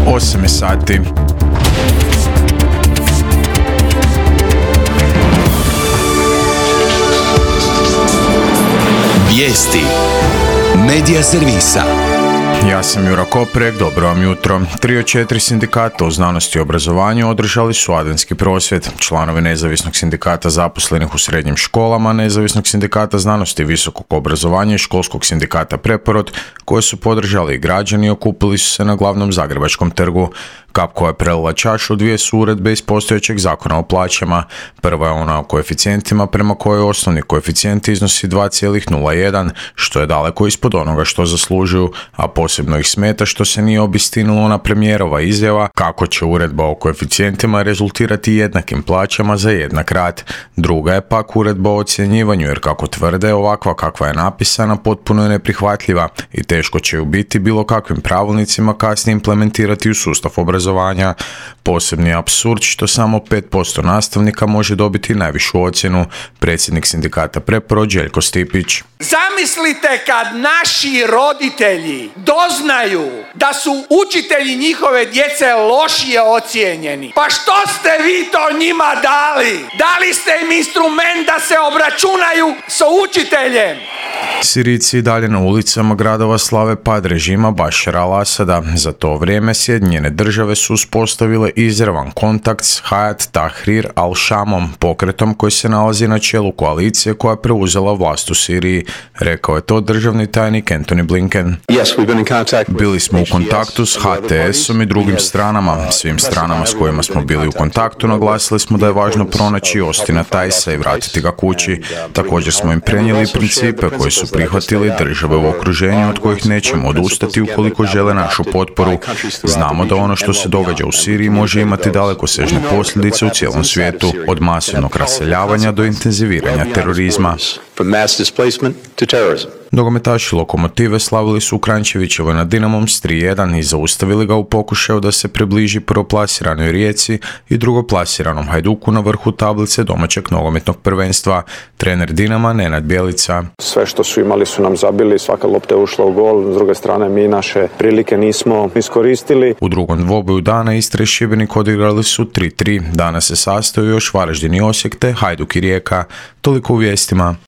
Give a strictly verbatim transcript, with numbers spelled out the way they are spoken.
osam je sati. Vijesti Medija servisa. Ja sam Jura Koprek, dobro vam jutro. Tri od četiri sindikata u znanosti i obrazovanju održali su adventski prosvjed. Članovi Nezavisnog sindikata zaposlenih u srednjim školama, Nezavisnog sindikata znanosti i visokog obrazovanja i Školskog sindikata Preporod, koje su podržali i građani, okupili su se na glavnom Zagrebačkom trgu. Kap koja je prelila čašu dvije su uredbe iz postojećeg zakona o plaćama. Prva je ona o koeficijentima, prema kojoj osnovni koeficijent iznosi dva zarez nula jedan, što je daleko ispod onoga što zaslužuju, a posebno ih smeta što se nije obistinilo ona premijerova izjava kako će uredba o koeficijentima rezultirati jednakim plaćama za jednak rad. Druga je pak uredba o ocjenjivanju, jer kako tvrde, ovakva kakva je napisana potpuno je neprihvatljiva i teško će ju biti bilo kakvim pravilnicima kasnije implementirati u sustav obrazovanja. Posebni apsurd što samo pet posto nastavnika može dobiti najvišu ocjenu, predsjednik sindikata Preporod Željko Stipić. Zamislite kad naši roditelji doznaju da su učitelji njihove djece lošije ocijenjeni. Pa što ste vi to njima dali? Dali ste im instrument da se obračunaju sa učiteljem. Sirijci dalje na ulicama gradova slave pad režima Bašara al-Asada. Za to vrijeme Sjedinjene države su uspostavile izravan kontakt s Hayat Tahrir al-Shamom, pokretom koji se nalazi na čelu koalicije koja je preuzela vlast u Siriji. Rekao je to državni tajnik Antony Blinken. Bili smo u kontaktu s H T S-om i drugim stranama. Svim stranama s kojima smo bili u kontaktu naglasili smo da je važno pronaći Ostina Tajsa i vratiti ga kući. Također smo im prenijeli principe koji su prihvatili države u okruženju od kojih nećemo odustati ukoliko žele našu potporu. Znamo da ono što se događa u Siriji može imati dalekosežne posljedice u cijelom svijetu, od masovnog raseljavanja do intenziviranja terorizma. Nogometaši Lokomotive slavili su u Kranjčevićevoj nad Dinamom s tri jedan i zaustavili ga u pokušaju da se približi prvoplasiranoj Rijeci i drugoplasiranom Hajduku na vrhu tablice domaćeg nogometnog prvenstva. Trener Dinama Nenad Bjelica. Sve što su imali su nam zabili, svaka lopta je ušla u gol, s druge strane mi naše prilike nismo iskoristili. U drugom dvoboju dana Istra i Šibenik odigrali su tri tri. Danas se sastaju još Varaždin i Osijek te Hajduk i Rijeka. Toliko u vijestima.